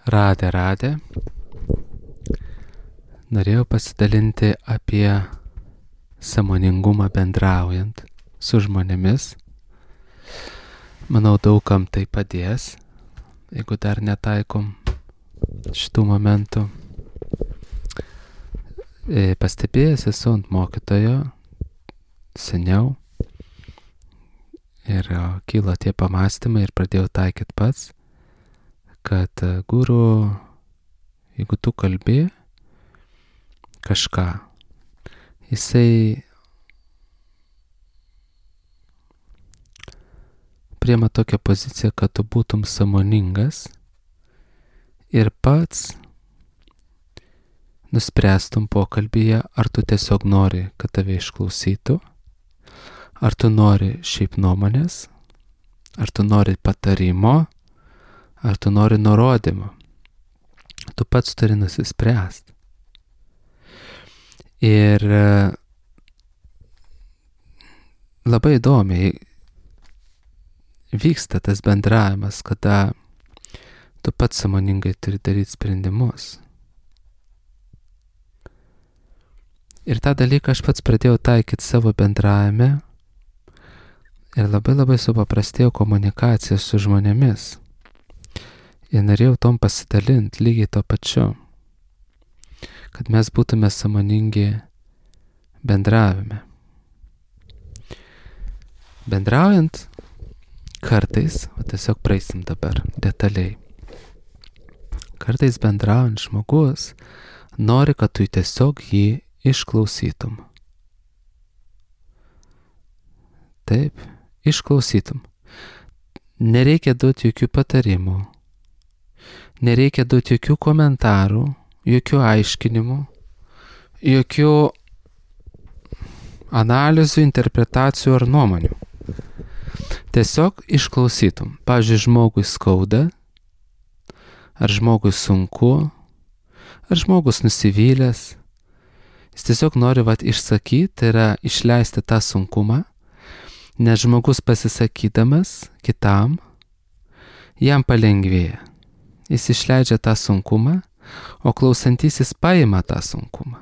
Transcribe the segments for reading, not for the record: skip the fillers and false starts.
Radė. Norėjau pasidalinti apie sąmoningumą bendraujant su žmonėmis. Manau, daugam tai padės, jeigu dar netaikom šitų momentų. Pastebėjęs esu ant mokytojo seniau ir kilo tie pamastymai ir pradėjau taikyti pats, kad guru, jeigu tu kalbi kažką, jisai priema tokią poziciją, kad tu būtum sąmoningas ir pats nuspręstum pokalbyje, ar tu tiesiog nori, kad tave išklausytų, ar tu nori šiaip nuomonės, ar tu nori patarimo, ar tu nori nurodymo. Tu pats turi nusispręsti. Ir labai įdomiai vyksta tas bendravimas, kada tu pats sąmoningai turi daryti sprendimus. Ir tą dalyką aš pats pradėjau taikyti savo bendravime ir labai supaprastėjau komunikaciją su žmonėmis. Ir norėjau tom pasidalinti lygiai to pačiu, kad mes būtume sąmoningi bendravime. Bendraujant kartais, tiesiog praeisim dabar detaliai, kartais bendraujant žmogus nori, kad tu tiesiog jį išklausytum. Taip, išklausytum. Nereikia duoti jokių patarimų, nereikia duoti jokių komentarų, jokių aiškinimų, jokių analizių, interpretacijų ar nuomonių. Tiesiog išklausytum. Pavyzdžiui, žmogui skauda, ar žmogui sunku, ar žmogus nusivylęs. Jis tiesiog nori išsakyti, tai yra išleisti tą sunkumą, nes žmogus pasisakydamas kitam, jam palengvėja. Jis išleidžia tą sunkumą, o klausantysis paima tą sunkumą.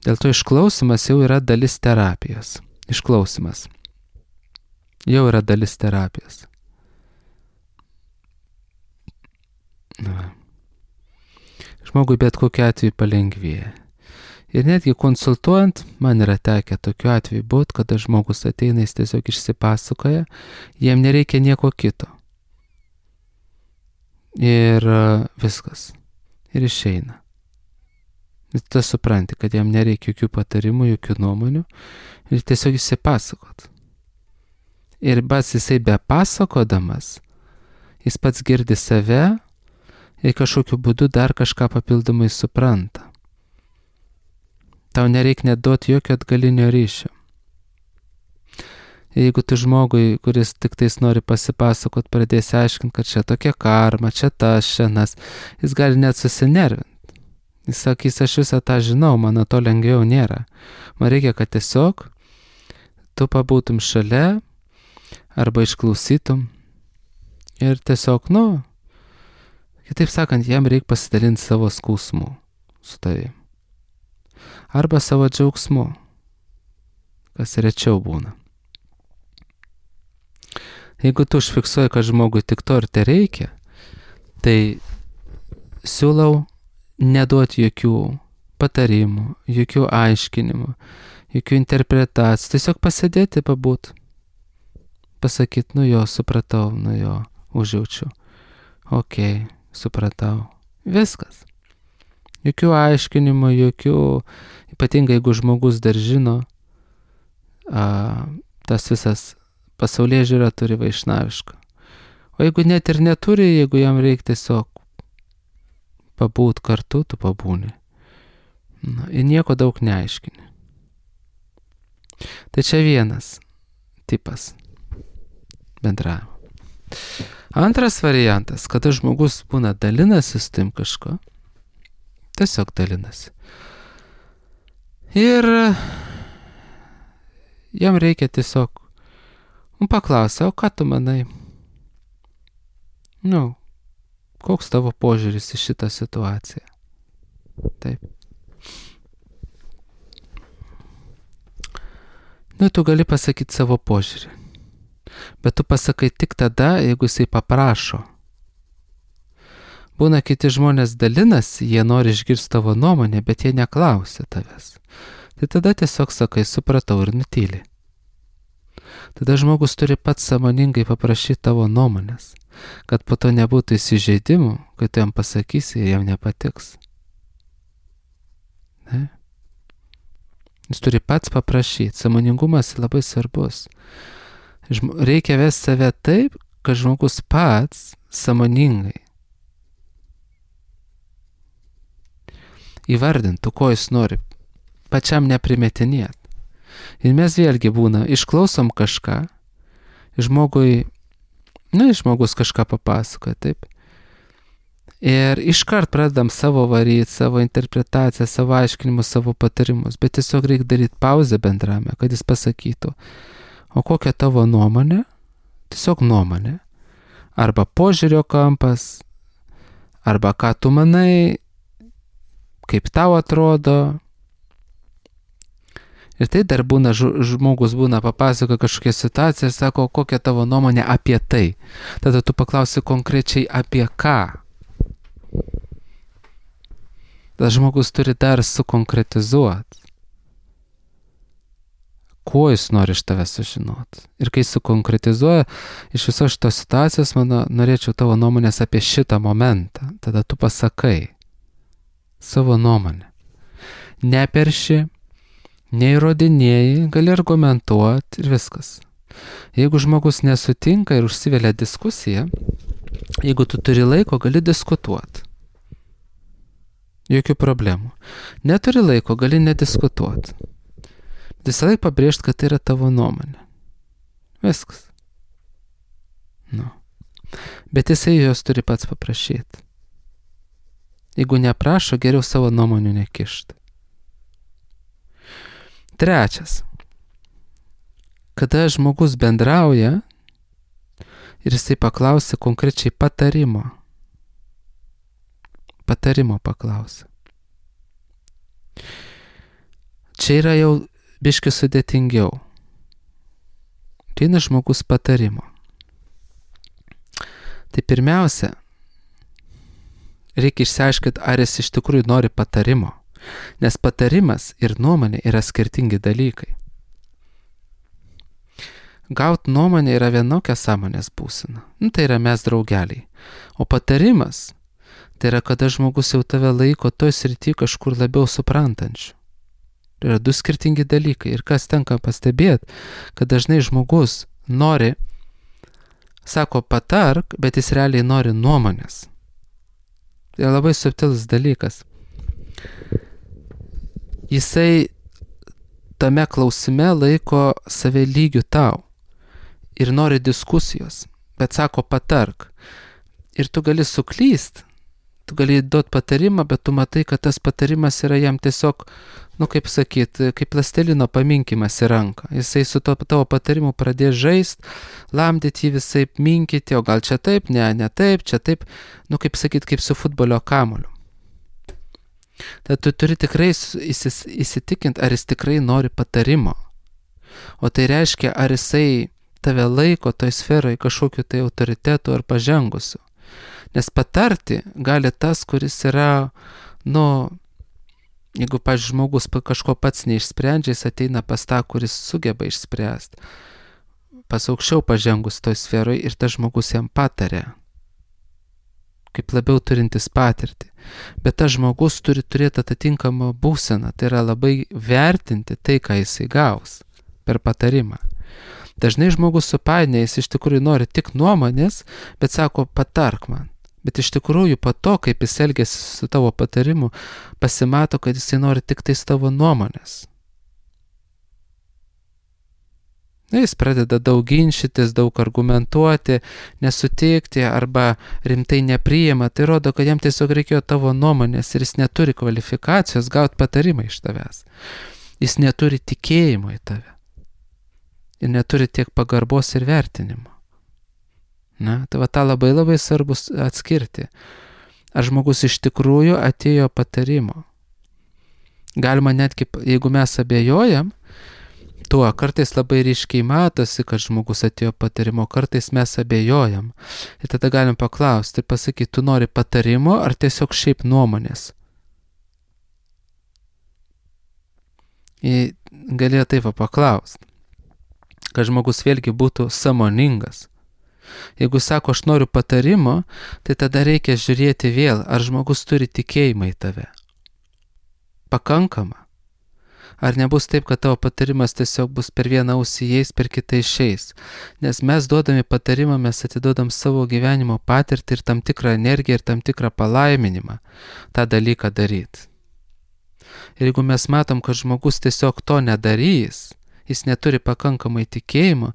Dėl to išklausimas jau yra dalis terapijos. Išklausimas jau yra dalis terapijos. Žmogui bet kokiu atveju palengvėja. Ir netgi konsultuojant, man yra tekę tokiu atveju būt, kada žmogus ateina, jis tiesiog išsipasakoja, jiem nereikia nieko kito. Ir viskas. Ir išeina. Ir tu supranti, kad jam nereikia jokių patarimų, jokių nuomonių. Ir tiesiog išsipasakot. Ir pats jisai be pasakodamas, jis pats girdi save ir kažkokiu būdu dar kažką papildomai supranta. Tau nereikia net duoti jokio atgalinio ryšio. Jeigu tu žmogui, kuris tik tais nori pasipasakot, pradėsi aiškinti, kad čia tokia karma, čia tas, šiandienas, jis gali net susinervinti. Jis sakys, aš visą tą žinau, mano to lengviau nėra. Man reikia, kad tiesiog tu pabūtum šalia arba išklausytum ir tiesiog, kitaip sakant, jam reikia pasidalinti savo skausmu su tavim. Arba savo džiaugsmu, kas rečiau būna. Jeigu tu užfiksuoji, kad žmogui tik to ir te reikia, tai siūlau neduoti jokių patarimų, jokių aiškinimų, jokių interpretacijų. Tiesiog pasėdėti, pabūt. Pasakyti, supratau, užjaučiu. Ok, supratau. Viskas. Jokių aiškinimų, jokių, ypatingai jeigu žmogus dar žino, tas visas pasaulyje žiūra turi vaišnavišką. O jeigu net ir neturi, jeigu jam reikia tiesiog pabūt kartu, tu pabūni. Ir nieko daug neaiškini. Tai čia vienas tipas bendravimo. Antras variantas, kada žmogus būna dalinasi su tim kažko, tiesiog dalinasi. Ir jam reikia tiesiog paklausia, o ką tu manai? Koks tavo požiūris į šitą situaciją? Taip. Tu gali pasakyti savo požiūrį. Bet tu pasakai tik tada, jeigu jisai paprašo. Būna kiti žmonės dalinasi, jie nori išgirsti tavo nuomonę, bet jie neklausia tavęs. Tai tada tiesiog sakai, supratau ir nutyli. Tada žmogus turi pats sąmoningai paprašyti tavo nuomonės, kad po to nebūtų įsižeidimų, kai tu jam pasakysi ir jam nepatiks. Ne? Jis turi pats paprašyti. Sąmoningumas labai svarbus. Reikia vesti save taip, kad žmogus pats sąmoningai įvardintų, ko jis nori, pačiam neprimetinėt. Ir mes vėlgi būna, išklausom kažką, žmogus kažką papasakoja, taip. Ir iškart pradedam savo varyti, savo interpretaciją, savo aiškinimus, savo patarimus, bet tiesiog reikia daryti pauzę bendrame, kad jis pasakytų, o kokia tavo nuomonė, tiesiog nuomonė, arba požiūrio kampas, arba ką tu manai, kaip tau atrodo. Ir tai dar būna, žmogus būna papasako kažkokią situaciją ir sako, kokia tavo nuomonė apie tai. Tada tu paklausi konkrečiai apie ką. Tada žmogus turi dar sukonkretizuoti, ko jis nori iš tavęs sužinoti. Ir kai sukonkretizuoja, iš visos šitos situacijos, norėčiau tavo nuomonės apie šitą momentą. Tada tu pasakai savo nuomonę. Neperši, neįrodinėjai, gali argumentuoti ir viskas. Jeigu žmogus nesutinka ir užsivelia diskusiją, jeigu tu turi laiko, gali diskutuoti. Jokių problemų. Neturi laiko, gali nediskutuoti. Visą laiką pabrėžti, kad tai yra tavo nuomonė. Viskas. Bet jisai jos turi pats paprašyti. Jeigu neprašo, geriau savo nuomonių nekišti. Trečias. Kada žmogus bendrauja ir jisai paklausia konkrečiai patarimo. Patarimo paklausia. Čia yra jau biški sudėtingiau. Ateina žmogus patarimo. Tai pirmiausia, reikia išsiaiškinti, ar jis iš tikrųjų nori patarimo. Nes patarimas ir nuomonė yra skirtingi dalykai. Gaut nuomonę yra vienokia sąmonės būsena. Tai yra mes draugeliai. O patarimas, tai yra kada žmogus jau tave laiko toj srity kažkur labiau suprantančių. Tai yra du skirtingi dalykai. Ir kas tenka pastebėti, kad dažnai žmogus nori, sako patark, bet jis realiai nori nuomonės. Tai yra labai subtilus dalykas. Jisai tame klausime laiko save lygiu tau ir nori diskusijos, bet sako patark. Ir tu gali suklyst, tu gali duoti patarimą, bet tu matai, kad tas patarimas yra jam tiesiog, kaip kaip plastelino paminkimas į ranką. Jisai su tavo patarimu pradės žaist, lamdyti jį visai minkyti, o gal čia taip, ne taip, čia taip, kaip su futbolio kamuoliu. Tad tu turi tikrai įsitikinti, ar jis tikrai nori patarimo. O tai reiškia, ar jisai tave laiko toj sferoje kažkokiu tai autoritetu ar pažengusiu. Nes patarti gali tas, kuris yra, jeigu, pavyzdžiui, žmogus kažko pats neišsprendžia, jis ateina pas tą, kuris sugeba išspręsti. Pas aukščiau pažengus toj sferoje ir tas žmogus jam patarė, kaip labiau turintis patirtį. Bet tas žmogus turi turėti atitinkamą būseną, tai yra labai vertinti tai, ką jisai gaus per patarimą. Dažnai žmogus supainioja, jis iš tikrųjų nori tik nuomonės, bet sako patark man. Bet iš tikrųjų po to, kaip jis elgiasi su tavo patarimu, pasimato, kad jisai nori tik tais tavo nuomonės. Jis pradeda daug ginčytis, daug argumentuoti, nesutikti arba rimtai nepriima. Tai rodo, kad jam tiesiog reikėjo tavo nuomonės ir jis neturi kvalifikacijos gauti patarimą iš tavęs. Jis neturi tikėjimo į tave. Ir neturi tiek pagarbos ir vertinimo. Na, tai va tą labai labai svarbu atskirti. Ar žmogus iš tikrųjų atėjo patarimo. Galima netgi, jeigu mes abejojam, tuo kartais labai ryškiai matosi, kad žmogus atėjo patarimo, kartais mes abejojam. Ir tada galim paklausti ir pasakyti, tu nori patarimo ar tiesiog šiaip nuomonės. Ir galėjo taip paklausti, kad žmogus vėlgi būtų sąmoningas. Jeigu sako, aš noriu patarimo, tai tada reikia žiūrėti vėl, ar žmogus turi tikėjimą į tave. Pakankama. Ar nebus taip, kad tavo patarimas tiesiog bus per vieną ausį įeis, per kitą išeis. Nes mes duodami patarimą, mes atidodam savo gyvenimo patirtį ir tam tikrą energiją ir tam tikrą palaiminimą tą dalyką daryti. Ir jeigu mes matom, kad žmogus tiesiog to nedarys, jis neturi pakankamai tikėjimo,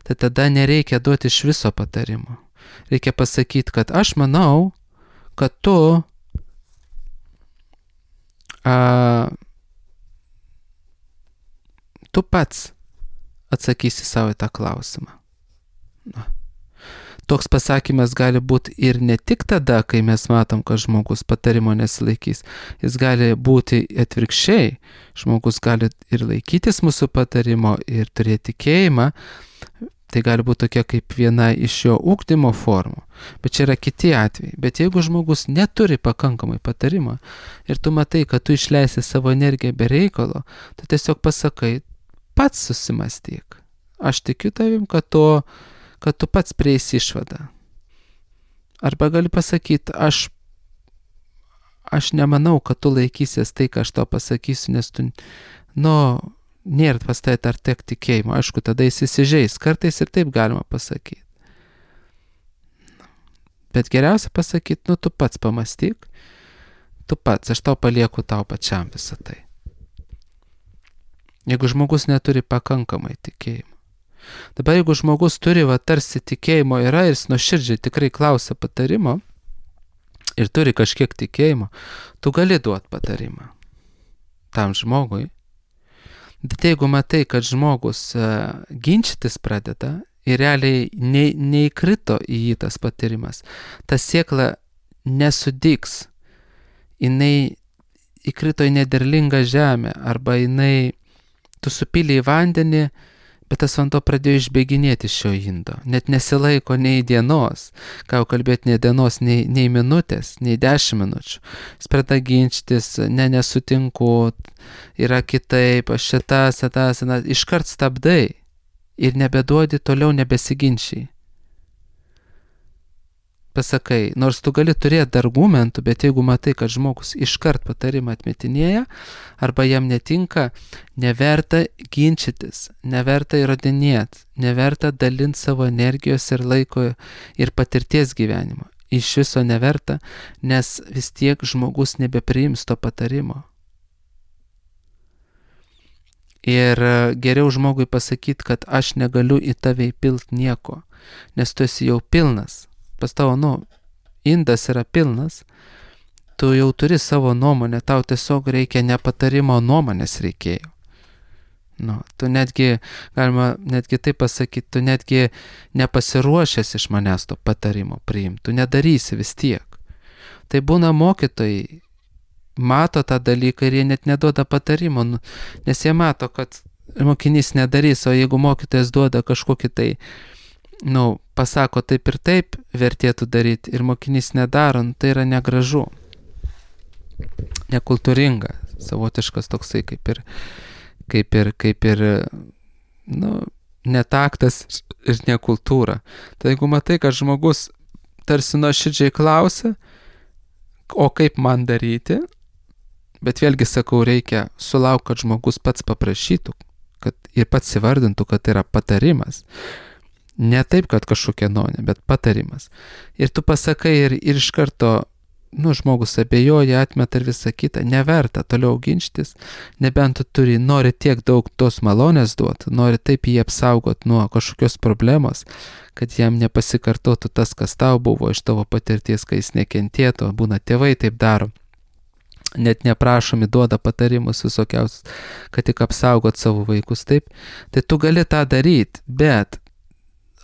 tai tada nereikia duoti iš viso patarimo. Reikia pasakyti, kad aš manau, kad tu pats atsakysi savo į tą klausimą. Toks pasakymas gali būti ir ne tik tada, kai mes matom, kad žmogus patarimo nesilaikys. Jis gali būti atvirkščiai. Žmogus gali ir laikytis mūsų patarimo ir turėti tikėjimą. Tai gali būti tokia kaip viena iš jo ugdymo formų. Bet čia yra kiti atvejai. Bet jeigu žmogus neturi pakankamai patarimo ir tu matai, kad tu išleisi savo energiją be reikalo, tu tiesiog pasakai, pats susimastyk. Aš tikiu tavim, kad tu pats prieisi išvadą. Arba gali pasakyti, aš nemanau, kad tu laikysies tai, ką aš tau pasakysiu, nes tu, nėra pas tai dar tiek tikėjimo. Aišku, tada jis įsižeis. Kartais ir taip galima pasakyti. Bet geriausia pasakyti, tu pats pamastyk, tu pats, aš tau palieku tau pačiam visą tai. Jeigu žmogus neturi pakankamai tikėjimo. Dabar jeigu žmogus turi, tarsi tikėjimo yra ir jis nuoširdžiai tikrai klausia patarimo ir turi kažkiek tikėjimo, tu gali duoti patarimą tam žmogui. Bet jeigu matai, kad žmogus ginčytis pradeda ir realiai neįkrito į jį tas patarimas, ta siekla nesudygs, jinai įkrito į nederlingą žemę arba tu supylė į vandenį, bet tas vanduo pradėjo išbėginėti iš šio indo. Net nesilaiko nei dienos, ką jau kalbėti, nei dienos, nei minutės, nei 10 minučių. Jis pradeda ginčytis, nesutinku, yra kitaip, aš šitas, iškart stabdai ir nebeduodi, toliau nebesiginčiai. Pasakai, nors tu gali turėti argumentų, bet jeigu matai, kad žmogus iškart patarimą atmetinėja, arba jam netinka, neverta ginčytis, neverta įrodinėti, neverta dalinti savo energijos ir laiko ir patirties gyvenimo. Iš viso neverta, nes vis tiek žmogus nebepriims to patarimo. Ir geriau žmogui pasakyti, kad aš negaliu į tave įpilti nieko, nes tu esi jau pilnas. Pas tavo, indas yra pilnas, tu jau turi savo nuomonę, tau tiesiog reikia ne patarimo, nuomonės reikėjo. Tu galima netgi taip pasakyti, tu netgi nepasiruošęs iš manęs to patarimo priimti, tu nedarysi vis tiek. Tai būna mokytojai, mato tą dalyką ir jie net neduoda patarimo, nes jie mato, kad mokinys nedarys, o jeigu mokytojas duoda kažkokį tai, pasako taip ir taip, vertėtų daryti ir mokinys nedaro, tai yra negražu, nekultūringa, savotiškas toksai kaip ir netaktas ir nekultūra. Tai jeigu matai, kad žmogus tarsi nuoširdžiai klausia, o kaip man daryti, bet vėlgi sakau, reikia sulaukti, kad žmogus pats paprašytų, kad ir pats įvardintų, kad tai yra patarimas. Ne taip, kad kažkokia nuomonė, bet patarimas. Ir tu pasakai ir iš karto, žmogus abejoja, atmeta ir visą kitą. Neverta toliau ginčytis, nebent tu nori tiek daug tos malonės duoti, nori taip jį apsaugoti nuo kažkokios problemos, kad jam nepasikartotų tas, kas tau buvo iš tavo patirties, kai jis nekentėtų. Būna tėvai taip daro. Net neprašomi duoda patarimus visokiausius, kad tik apsaugot savo vaikus taip. Tai tu gali tą daryti, bet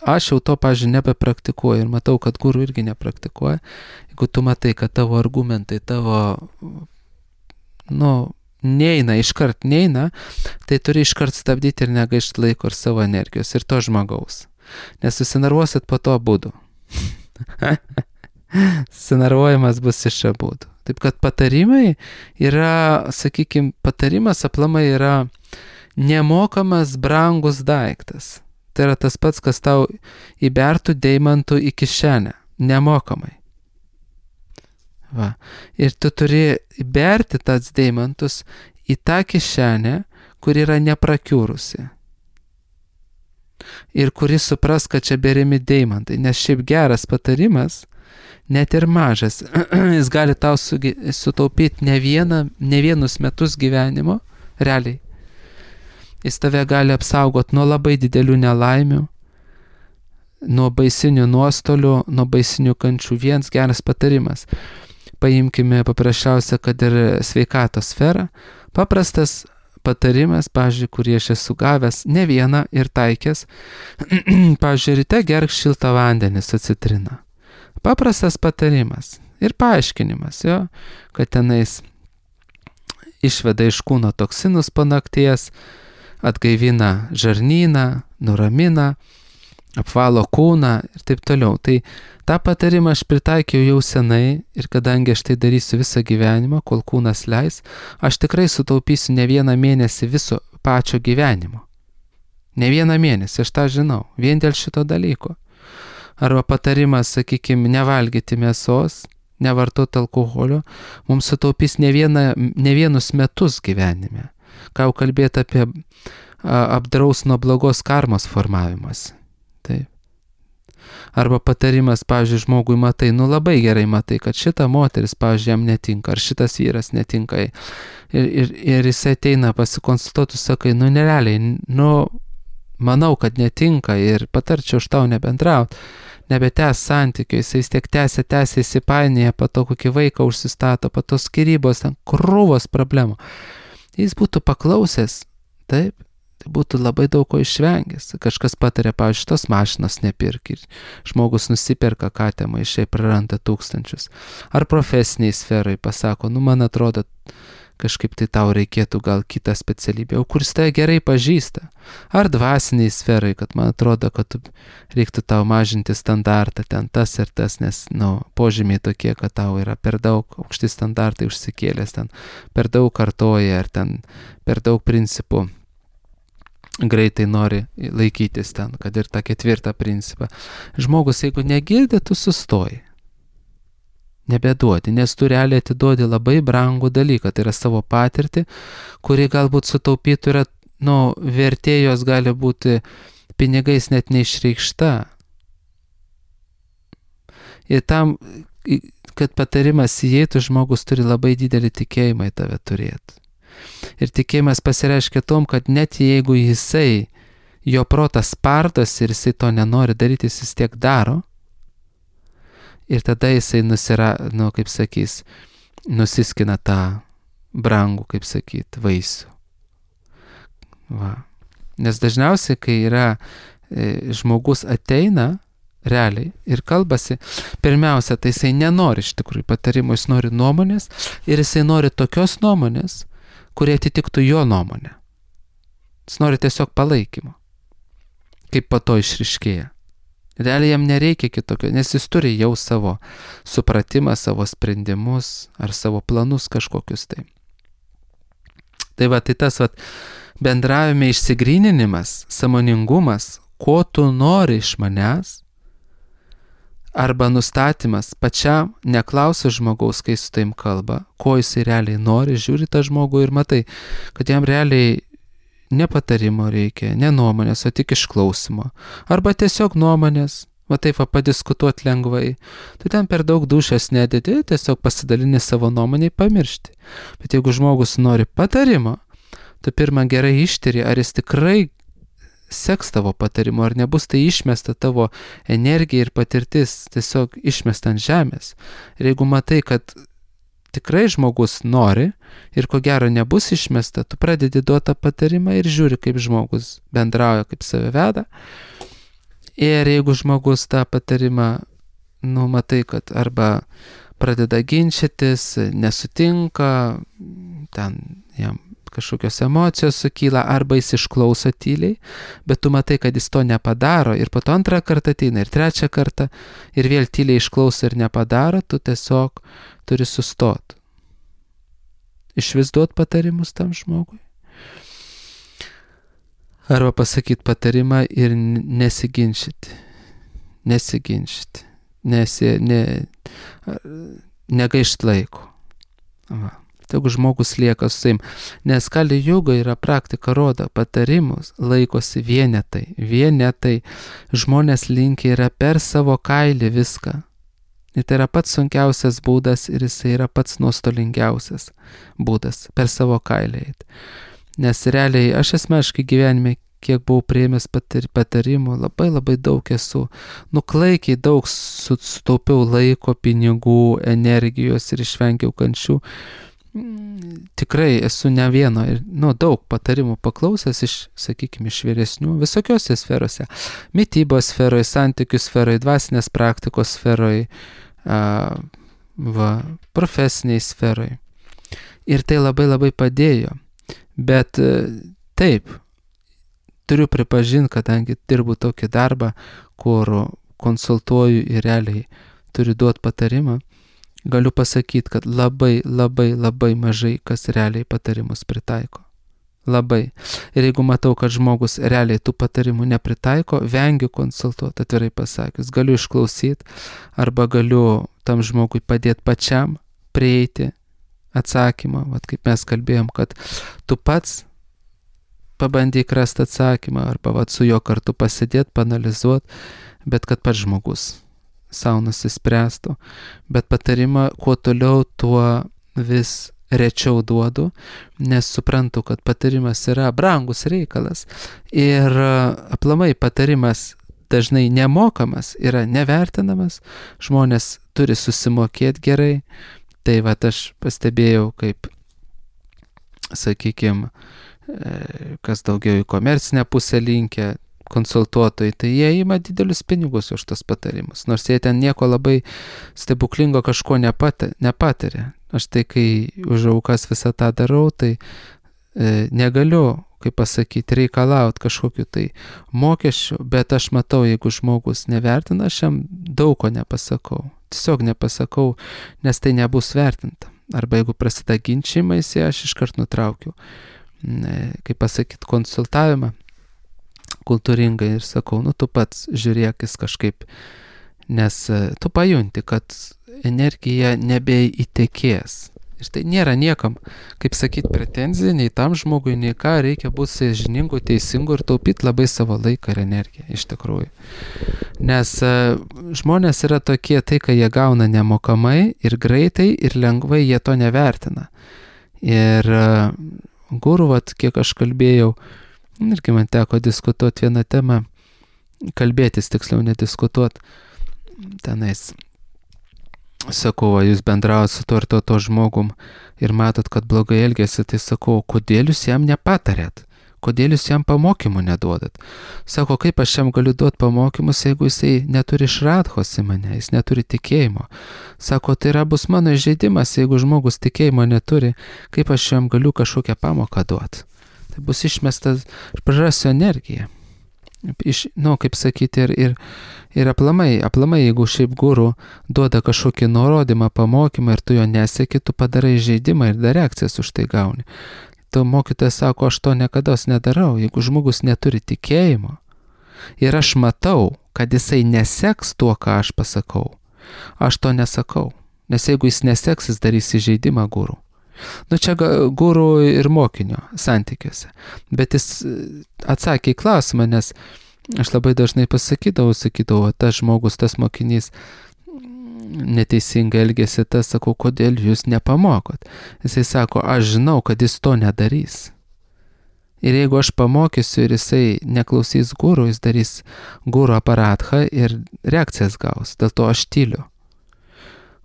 aš jau to, pavyzdžiui, nebepraktikuoju ir matau, kad guru irgi nepraktikuoja. Jeigu tu matai, kad tavo argumentai, neina, iškart neina, tai turi iškart stabdyti ir negaišti laiko ir savo energijos ir to žmogaus. Nes susinervuosit po to abudu. Susinervuojimas bus iš abudu. Taip kad patarimai yra, patarimas aplamai yra nemokamas brangus daiktas. Tai yra tas pats, kas tau įbertų deimantų į kišenę. Nemokamai. Va. Ir tu turi įberti tas deimantus į tą kišenę, kur yra neprakiūrusi. Ir kuris supras, kad čia beriami deimantai. Nes šiaip geras patarimas, net ir mažas, jis gali tau sutaupyti ne vienus metus gyvenimo, realiai. Jis tave gali apsaugoti nuo labai didelių nelaimių, nuo baisinių nuostolių, nuo baisinių kančių. Vienas geras patarimas. Paimkime paprasčiausia, kad ir sveikatos sferą. Paprastas patarimas, pavyzdžiui, kurį aš esu gavęs ne vieną ir taikęs. Pavyzdžiui, ryte gerk šiltą vandenį su citrina. Paprastas patarimas ir paaiškinimas, jo, kad tenais išveda iš kūno toksinus po nakties, atgaivina žarnyną, nuramina, apvalo kūną ir taip toliau. Tai tą patarimą aš pritaikiau jau senai ir kadangi aš tai darysiu visą gyvenimą, kol kūnas leis, aš tikrai sutaupysiu ne vieną mėnesį viso pačio gyvenimo. Ne vieną mėnesį, aš tą žinau, vien dėl šito dalyko. Arba patarimas, nevalgyti mėsos, nevartoti alkoholio, mums sutaupys ne vienus metus gyvenime. Ką jau kalbėti apie apdraus nuo blogos karmos formavimas. Taip. Arba patarimas, pavyzdžiui, žmogui matai, labai gerai matai, kad šita moteris, pavyzdžiui, jam netinka, ar šitas vyras netinka. Ir jis ateina pasikonsultuoti, sakai, nerealiai, manau, kad netinka ir patarčiau už tau nebendrauti, nebetęs santykių, jis vis tiek tęsia, įsipainėja, po to kokį vaiką užsistato, po to skyrybos, ten krūvos problemų. Jis būtų paklausęs, taip, tai būtų labai daug ko išvengęs. Kažkas patarė, pavyzdžiui, tos mašinos nepirk ir žmogus nusiperka katemą, išai praranda tūkstančius. Ar profesiniai sferai pasako, man atrodo, kažkaip tai tau reikėtų gal kitą specialybę, o kuris tai gerai pažįsta. Ar dvasiniai sferai, kad man atrodo, kad reiktų tau mažinti standartą, ten tas ir tas, nes, požymiai tokie, kad tau yra per daug aukšti standartai užsikėlęs, ten per daug kartoja, ar ten per daug principų greitai nori laikytis ten, kad ir tą 4 principą. Žmogus, jeigu negirdi, tu sustoji. Nebeduodi, nes tu realiai atiduodi labai brangų dalyką, tai yra savo patirtį, kuri galbūt sutaupytų yra, vertėjos gali būti pinigais net neišreikšta. Ir tam, kad patarimas įeitų, žmogus turi labai didelį tikėjimą į tave turėti. Ir tikėjimas pasireiškia tom, kad net jeigu jo protas spardas ir jisai to nenori daryti, jis vis tiek daro. Ir tada jisai nusiskina tą brangų, vaisių. Va. Nes dažniausiai, kai yra žmogus ateina realiai ir kalbasi, pirmiausia, tai jisai nenori iš tikrųjų patarimų, jis nori nuomonės ir jisai nori tokios nuomonės, kurie atitiktų jo nuomonę. Jis nori tiesiog palaikymo, kaip po to išryškėja. Realiai jam nereikia kitokio, nes jis turi jau savo supratimą, savo sprendimus ar savo planus kažkokius tai. Tai tas bendravime išsigryninimas, sąmoningumas, ko tu nori iš manęs, arba nustatymas pačiam, neklausi žmogaus, kai su taim kalba, ko jisai realiai nori, žiūri tą žmogų ir matai, kad jam realiai ne patarimo reikia, ne nuomonės, o tik išklausimo. Arba tiesiog nuomonės, padiskutuoti lengvai. Tu ten per daug dūšios nededi, tiesiog pasidalini savo nuomonę, pamiršti. Bet jeigu žmogus nori patarimo, tu pirmą gerai ištiri, ar jis tikrai seks tavo patarimu, ar nebus tai išmesta tavo energija ir patirtis, tiesiog išmesta ant žemės. Ir jeigu matai, kad tikrai žmogus nori ir ko gero nebus išmesta, tu pradedi duoti patarimą ir žiūri, kaip žmogus bendrauja, kaip save veda. Ir jeigu žmogus tą patarimą, matai, kad arba pradeda ginčytis, nesutinka, ten jam kažkokios emocijos sukyla, arba jis išklauso tyliai, bet tu matai, kad jis to nepadaro ir po to antrą kartą ateina ir trečią kartą ir vėl tyliai išklauso ir nepadaro, tu tiesiog turi sustot. Išvis duot patarimus tam žmogui. Arba pasakyti patarimą ir nesiginčyti. Negaišt laiko. Va. Jeigu žmogus lieka su savim. Nes Kali Juga yra praktika, rodo patarimus, laikosi vienetai. Žmonės linkia yra per savo kailį viską. Ir tai yra pats sunkiausias būdas ir jisai yra pats nuostolingiausias būdas per savo kailį. Nes realiai aš asmeniškai gyvenime, kiek buvau priėmęs patarimų, labai daug esu. Klaikiai daug sutaupiau laiko, pinigų, energijos ir išvengiau kančių. Tikrai esu ne vieno ir daug patarimų paklausęs iš, sakykime, iš vyresnių, visokiose sferose. Mitybos sferoje, santykių sferoje, dvasinės praktikos sferoje, profesiniai sferoje. Ir tai labai padėjo. Bet taip, turiu pripažinti, kadangi dirbu tokį darbą, kur konsultuoju ir realiai turiu duoti patarimą, galiu pasakyti, kad labai mažai kas realiai patarimus pritaiko. Labai. Ir jeigu matau, kad žmogus realiai tų patarimų nepritaiko, vengiu konsultuoti, atvirai pasakius. Galiu išklausyti arba galiu tam žmogui padėti pačiam prieiti atsakymą. Vat kaip mes kalbėjom, kad tu pats pabandyk rasti atsakymą arba su juo kartu pasidėti, panalizuoti, bet kad pats žmogus savo nusispręstų. Bet patarimą kuo toliau, tuo vis rečiau duodu, nes suprantu, kad patarimas yra brangus reikalas. Ir aplamai patarimas dažnai nemokamas, yra nevertinamas, žmonės turi susimokėti gerai. Tai aš pastebėjau, kaip, sakykime, kas daugiau į komercinę pusę linkę, konsultuotojai, tai jie ima didelius pinigus už tas patarimus, nors jie ten nieko labai stebuklingo kažko nepataria. Aš tai, kai už aukas visą tą darau, tai negaliu, kaip pasakyti, reikalauti kažkokiu tai mokesčių, bet aš matau, jeigu žmogus nevertina, aš jam daug ko nepasakau. Tiesiog nepasakau, nes tai nebus vertinta. Arba jeigu prasideda ginčymais, aš iškart nutraukiu, kaip pasakyti, konsultavimą kultūringai ir sakau, tu pats žiūrėk jis kažkaip, nes tu pajunti, kad energija nebeįtekės. Ir tai nėra niekam, kaip sakyti, pretenzija, nei tam žmogui, nei ką, reikia būti sąžiningu, teisingu ir taupyti labai savo laiką ir energiją, iš tikrųjų. Nes žmonės yra tokie, tai, kai jie gauna nemokamai ir greitai ir lengvai jie to nevertina. Ir guru, kiek aš kalbėjau, irgi man teko diskutuoti vieną temą, kalbėtis, tiksliau nediskutuoti, tenais. Sakau, jūs bendraujat su to ir to žmogum ir matot, kad blogai elgėsi, tai sakau, kodėl jūs jam nepatarėt? Kodėl jūs jam pamokymų neduodat? Sako, kaip aš jam galiu duoti pamokymus, jeigu jisai neturi šradhos į mane, jis neturi tikėjimo. Sako, tai yra bus mano įžeidimas, jeigu žmogus tikėjimo neturi, kaip aš jam galiu kažkokią pamoką duoti. Tai bus išmestas, aš prarasiu energiją. Kaip sakyti, ir aplamai, jeigu šiaip guru duoda kažkokį nurodymą, pamokymą ir tu jo neseki, tu padarai žaidimą ir dar reakcijas už tai gauni. Tu mokytojas sako, aš to niekados nedarau, jeigu žmogus neturi tikėjimo ir aš matau, kad jisai neseks tuo, ką aš pasakau, aš to nesakau, nes jeigu jis neseks, jis darys įžeidimą guru. Čia guru ir mokinio santykiuose. Bet jis atsakė į klausimą, nes aš labai dažnai sakydavau, tas žmogus, tas mokinys neteisingai elgėsi, tas sakau, kodėl jūs nepamokot? Jisai sako, aš žinau, kad jis to nedarys. Ir jeigu aš pamokysiu ir jisai neklausys guru, jis darys guru aparatą ir reakcijas gaus. Dėl to aš tyliu.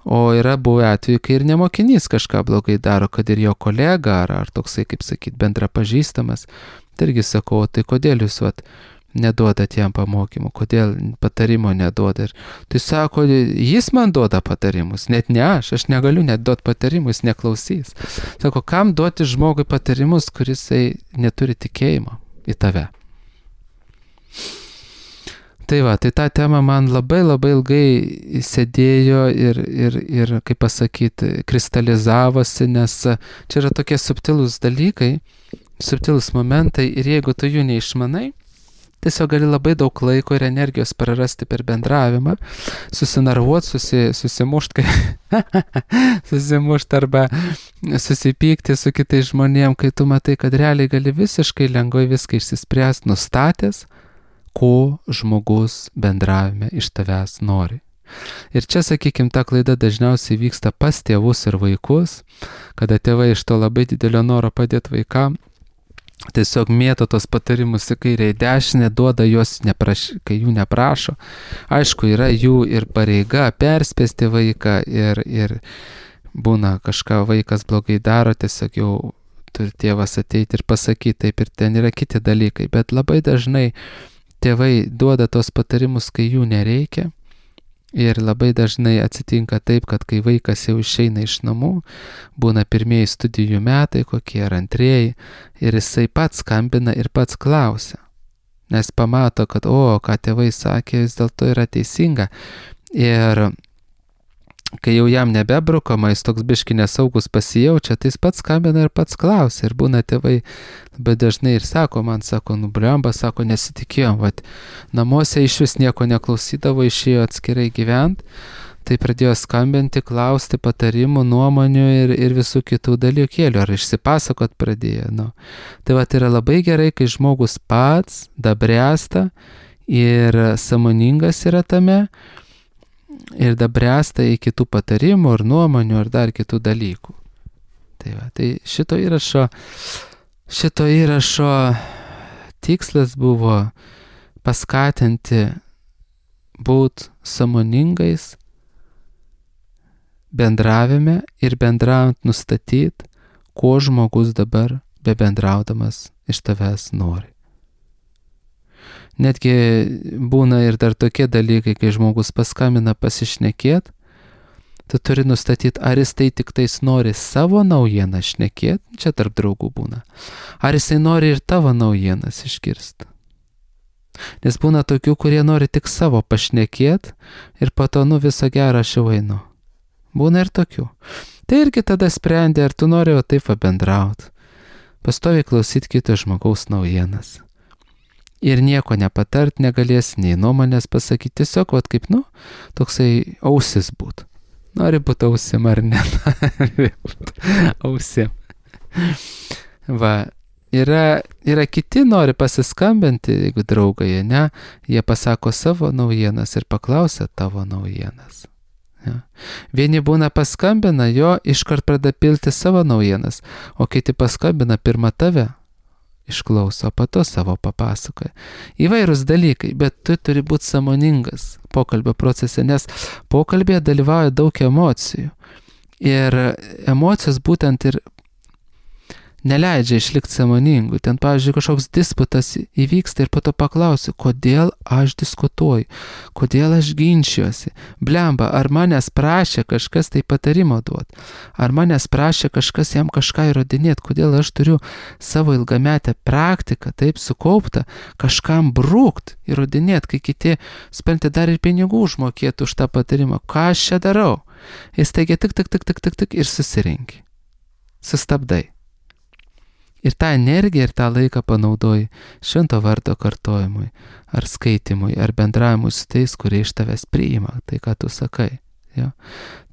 O yra buvę atveju, kai ir nemokinys kažką blogai daro, kad ir jo kolega ar toksai, kaip sakyti, bendra pažįstamas. Tai irgi sakau, tai kodėl jūs neduodat jam pamokymų, kodėl patarimo neduoda. Ir tai sako, jis man duoda patarimus, net ne aš negaliu net duoti patarimus, neklausys. Sako, kam duoti žmogui patarimus, kuris neturi tikėjimo į tave. Tai va, tai ta tema man labai ilgai sėdėjo ir kaip pasakyti, kristalizavosi, nes čia yra tokie subtilūs dalykai, subtilūs momentai ir jeigu tu jų neišmanai, tiesiog gali labai daug laiko ir energijos prarasti per bendravimą, susinarvuoti, susimušti, susimušti arba susipykti su kitais žmonėm, kai tu matai, kad realiai gali visiškai lengvai viską išsispręsti, nustatęs, ko žmogus bendravime iš tavęs nori. Ir čia, sakykime, ta klaida dažniausiai vyksta pas tėvus ir vaikus, kada tėvai iš to labai didelio noro padėti vaikam, tiesiog mėto tos patarimus į kairę į dešinę, duoda juos, kai jų neprašo. Aišku, yra jų ir pareiga perspėsti vaiką ir būna kažką vaikas blogai daro, tiesiog jau turi tėvas ateiti ir pasakyti, taip ir ten yra kiti dalykai, bet labai dažnai tėvai duoda tos patarimus, kai jų nereikia ir labai dažnai atsitinka taip, kad kai vaikas jau išeina iš namų, būna pirmieji studijų metai, kokie ar antrieji, ir jisai pats skambina ir pats klausia, nes pamato, kad ką tėvai sakė, vis dėlto yra teisinga. Ir kai jau jam nebebrukama, jis toks biški nesaugus pasijaučia, tai jis pats skambina ir pats klausia. Ir būna tėvai labai dažnai ir sako, blemba, sako, nesitikėjom, namuose iš vis nieko neklausydavo, išėjo atskirai gyventi, tai pradėjo skambinti, klausti patarimų, nuomonių ir visų kitų dalykėlių, ar išsipasakot pradėjo. Tai yra labai gerai, kai žmogus pats dabręsta ir sąmoningas yra tame, ir dabręsta į kitų patarimų ir nuomonių ir dar kitų dalykų. Tai šito įrašo tikslas buvo paskatinti būt sąmoningais bendravime ir bendraujant nustatyti, ko žmogus dabar bebendraudamas iš tavęs nori. Netgi būna ir dar tokie dalykai, kai žmogus paskambina pasišnekėt, tu turi nustatyti, ar jis tai tik tais nori savo naujieną šnekėt, čia tarp draugų būna, ar jisai nori ir tavo naujienas išgirsti. Nes būna tokių, kurie nori tik savo pašnekėt ir po to, viso gero aš jau einu. Būna ir tokių. Tai irgi tada sprendė, ar tu nori taip bendrauti. Pastoviai klausyti kito žmogaus naujienas. Ir nieko nepatart negalės, nei nuomonės pasakyti, tiesiog, kaip, toksai ausis būt. Nori būti ausim ar ne? Ausim. Yra kiti nori pasiskambinti, jeigu draugai, ne, jie pasako savo naujienas ir paklausia tavo naujienas. Ja. Vieni būna paskambina, iškart pradeda pilti savo naujienas, o kiti paskambina pirmą tave. Išklauso, po to savo papasakoja. Įvairūs dalykai, bet tu turi būti sąmoningas pokalbio procese, nes pokalbėje dalyvauja daug emocijų. Ir emocijos būtent ir neleidžia išlikti sąmoningų. Ten, pavyzdžiui, kažkoks disputas įvyksta ir po to paklausiu, kodėl aš diskutuoju, kodėl aš ginčiuosi. Blemba, ar manęs prašė kažkas tai patarimo duoti, ar manęs prašė kažkas jam kažką įrodinėti, kodėl aš turiu savo ilgametę praktiką, taip sukauptą, kažkam brūkt, įrodinėti, kai kiti, suprantate, dar ir pinigų užmokėtų už tą patarimą. Ką aš čia darau? Jis teigia tik ir susirinki. Sustabdai. Ir tą energiją ir tą laiką panaudoji švento vardo kartojimui, ar skaitimui, ar bendravimui su tais, kurie iš tavęs priima tai, ką tu sakai. Ja.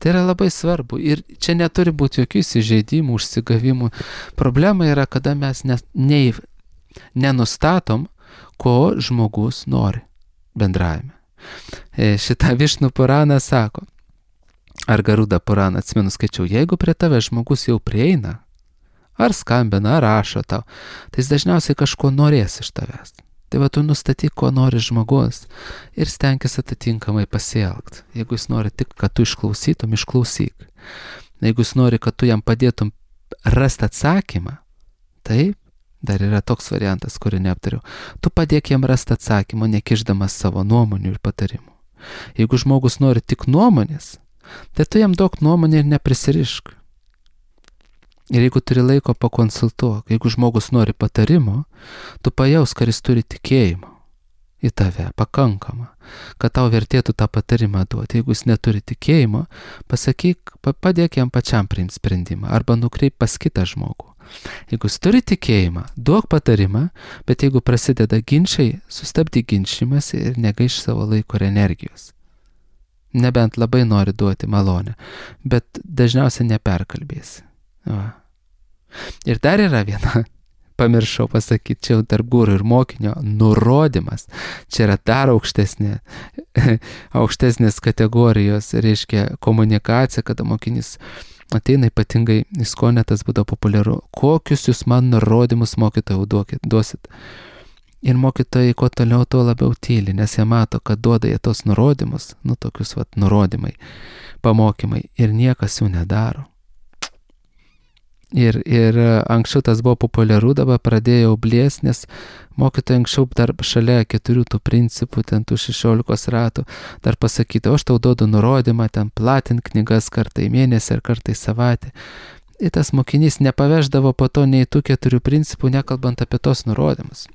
Tai yra labai svarbu. Ir čia neturi būti jokių įsižeidimų, užsigavimų. Problema yra, kada mes nenustatom, ko žmogus nori bendravime. Šitą Višnų Puraną sako, ar Garuda Puraną, atsimenu, skaičiau, jeigu prie tave žmogus jau prieina, ar skambina, ar rašo tau, tai jis dažniausiai kažko norės iš tavęs. Tai tu nustatyk, ko nori žmogus ir stenkis atitinkamai pasielgti. Jeigu jis nori tik, kad tu išklausytum, išklausyk. Jeigu jis nori, kad tu jam padėtum rasti atsakymą, taip, Dar yra toks variantas, kurį neaptariau. Tu padėk jam rasti atsakymą, nekišdamas savo nuomonių ir patarimų. Jeigu žmogus nori tik nuomonės, tai tu jam duok nuomonę ir neprisirišk. Ir jeigu turi laiko, pakonsultuok. Jeigu žmogus nori patarimo, tu pajaus, kad jis turi tikėjimo į tave, pakankamą, kad tau vertėtų tą patarimą duoti. Jeigu jis neturi tikėjimo, pasakyk, padėk jam pačiam priimti sprendimą arba nukreip pas kitą žmogų. Jeigu jis turi tikėjimą, duok patarimą, bet jeigu prasideda ginčiai, sustabdyk ginčymąsi ir negaiš savo laiko ir energijos. Nebent labai nori duoti malonę, bet dažniausiai neperkalbėsi. Va. Ir dar yra viena, pamiršau pasakyti, čia jau tarp guru ir mokinio, nurodymas. Čia yra dar aukštesnės kategorijos, reiškia komunikacija, kada mokinys ateina ypatingai į skonę, tas būdavo populiaru. Kokius jūs man nurodymus mokytojau duosit? Ir mokytojai kuo toliau, tuo labiau tyli, nes jie mato, kad duoda jie tos nurodymus, tokius nurodymai, pamokymai, ir niekas jų nedaro. Ir anksčiau tas buvo populiaru, dabar pradėjau blės, nes mokytojai anksčiau dar šalia 4 tų principų, ten tų 16 ratų, dar pasakyti, aš tau duodu nurodymą, ten platint knygas kartą į mėnesį ar kartą į savaitę. Ir tas mokinys nepaveždavo po to nei tų 4 principų, nekalbant apie tos nurodymus.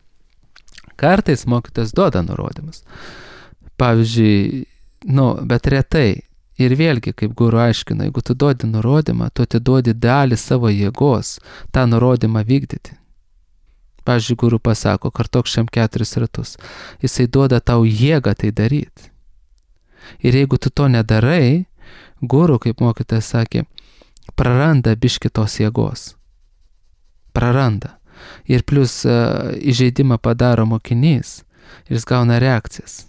Kartais mokytojas duoda nurodymus. Pavyzdžiui, bet retai. Ir vėlgi, kaip guru aiškina, jeigu tu duodi nurodymą, tu atiduodi dalį savo jėgos tą nurodymą vykdyti. Pavyzdžiui, guru pasako, kartok šiam 4 ratus. Jisai duoda tau jėgą tai daryti. Ir jeigu tu to nedarai, guru, kaip mokytojas sakė, praranda biškį tos jėgos. Praranda. Ir plus įžeidimą padaro mokinys ir jis gauna reakcijas.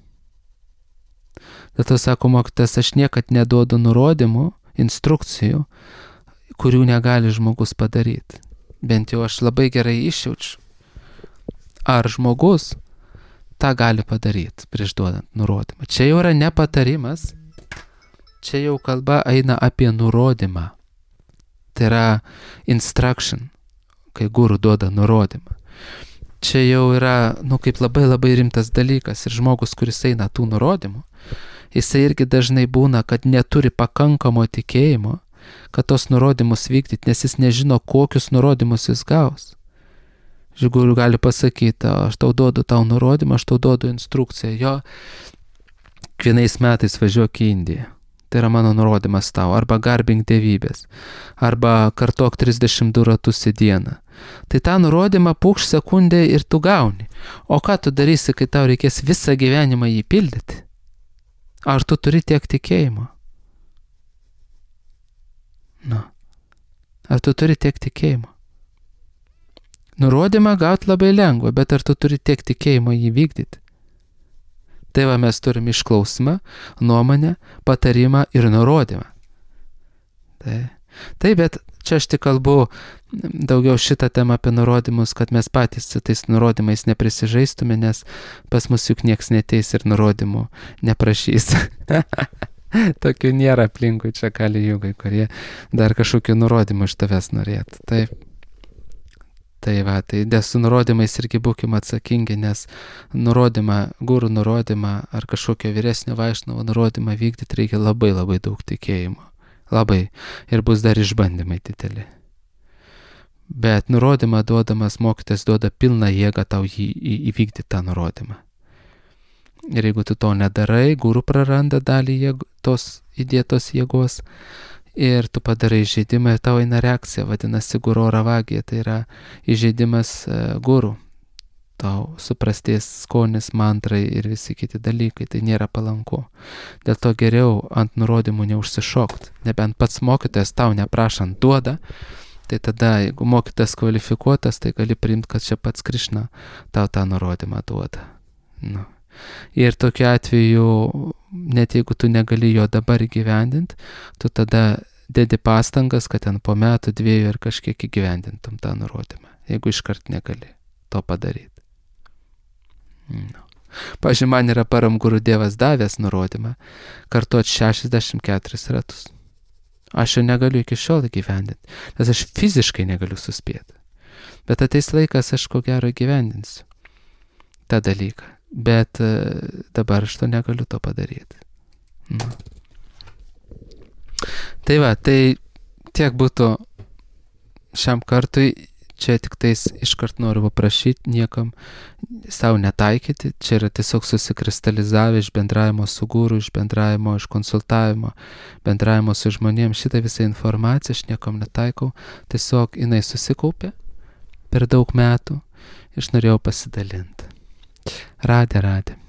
Dėl to sako mokytojas, aš niekad neduodu nurodymų, instrukcijų, kurių negali žmogus padaryti. Bent jau aš labai gerai išjaučiu, ar žmogus tą gali padaryti prieš duodant nurodymą. Čia jau yra ne patarimas, čia jau kalba eina apie nurodymą. Tai yra instruction, kai guru duoda nurodymą. Čia jau yra, kaip labai rimtas dalykas ir žmogus, kuris eina tų nurodymų, jisai irgi dažnai būna, kad neturi pakankamo tikėjimo, kad tos nurodymus vykdyti, nes jis nežino, kokius nurodymus jis gaus. Žigurių gali pasakyti, aš tau duodu tau nurodymą, aš tau duodu instrukciją, jo, kiekvienais metais važiuok į Indiją. Tai yra mano nurodymas tau, arba garbink dievybės, arba kartok 32 ratus į dieną. Tai tą nurodymą pūkš sekundę ir tu gauni. O ką tu darysi, kai tau reikės visą gyvenimą jį pildyti? Ar tu turi tiek tikėjimo? Ar tu turi tiek tikėjimo? Nurodymą gauti labai lengva, bet ar tu turi tiek tikėjimo jį vykdyti? Tai va, mes turime išklausimą, nuomonę, patarimą ir nurodymą. Tai, bet čia aš tik kalbu daugiau šitą temą apie nurodymus, kad mes patys su tais nurodymais neprisižaistume, nes pas mus juk nieks neteis ir nurodymų neprašys. Tokių nėra aplinkui čia kali jugai, kurie dar kažkokių nurodymų iš tavęs norėtų. Taip. Tai va, tai su nurodymais irgi būkime atsakingi, nes guru nurodymą ar kažkokio vyresnio vaišnovo nurodymą vykdyti reikia labai daug tikėjimo. Labai. Ir bus dar išbandymai dideli. Bet nurodymą duodamas mokytojas duoda pilną jėgą tau įvykdyti tą nurodymą. Ir jeigu tu to nedarai, guru praranda dalį tos įdėtos jėgos ir tu padarai įžeidimą ir tau eina reakcija, vadinasi guru ravagija, tai yra įžeidimas guru. Tau suprastės skonis, mantrai ir visi kiti dalykai, tai nėra palanku. Dėl to geriau ant nurodymų neužsišokt, nebent pats mokytojas tau neprašant duoda, tai tada, jeigu mokytojas kvalifikuotas, tai gali priimti, kad čia pats Krišna tau tą nurodymą duoda. Ir tokiu atveju, net jeigu tu negali jo dabar įgyvendinti, tu tada dedi pastangas, kad ten po metų, 2 ir kažkiek įgyvendintum tą nurodymą, jeigu iškart negali to padaryti. Pavyzdžiui, man yra Param Guru Dievas davęs nurodymą kartuoti 64 ratus. Aš jo negaliu iki šiol įgyvendinti, nes aš fiziškai negaliu suspėti. Bet ateis laikas, aš ko gero gyvendinsiu tą dalyką. Bet dabar aš to negaliu to padaryti. Tai va, tai tiek būtų šiam kartui. Čia tik tais iškart noriu paprašyti niekam savo netaikyti. Čia yra tiesiog susikristalizavę iš bendravimo su guru, iš bendravimo, iš konsultavimo, bendravimo su žmonėms. Šitą visą informaciją aš niekam netaikau. Tiesiog jinai susikaupė per daug metų. Aš norėjau pasidalinti. Radė.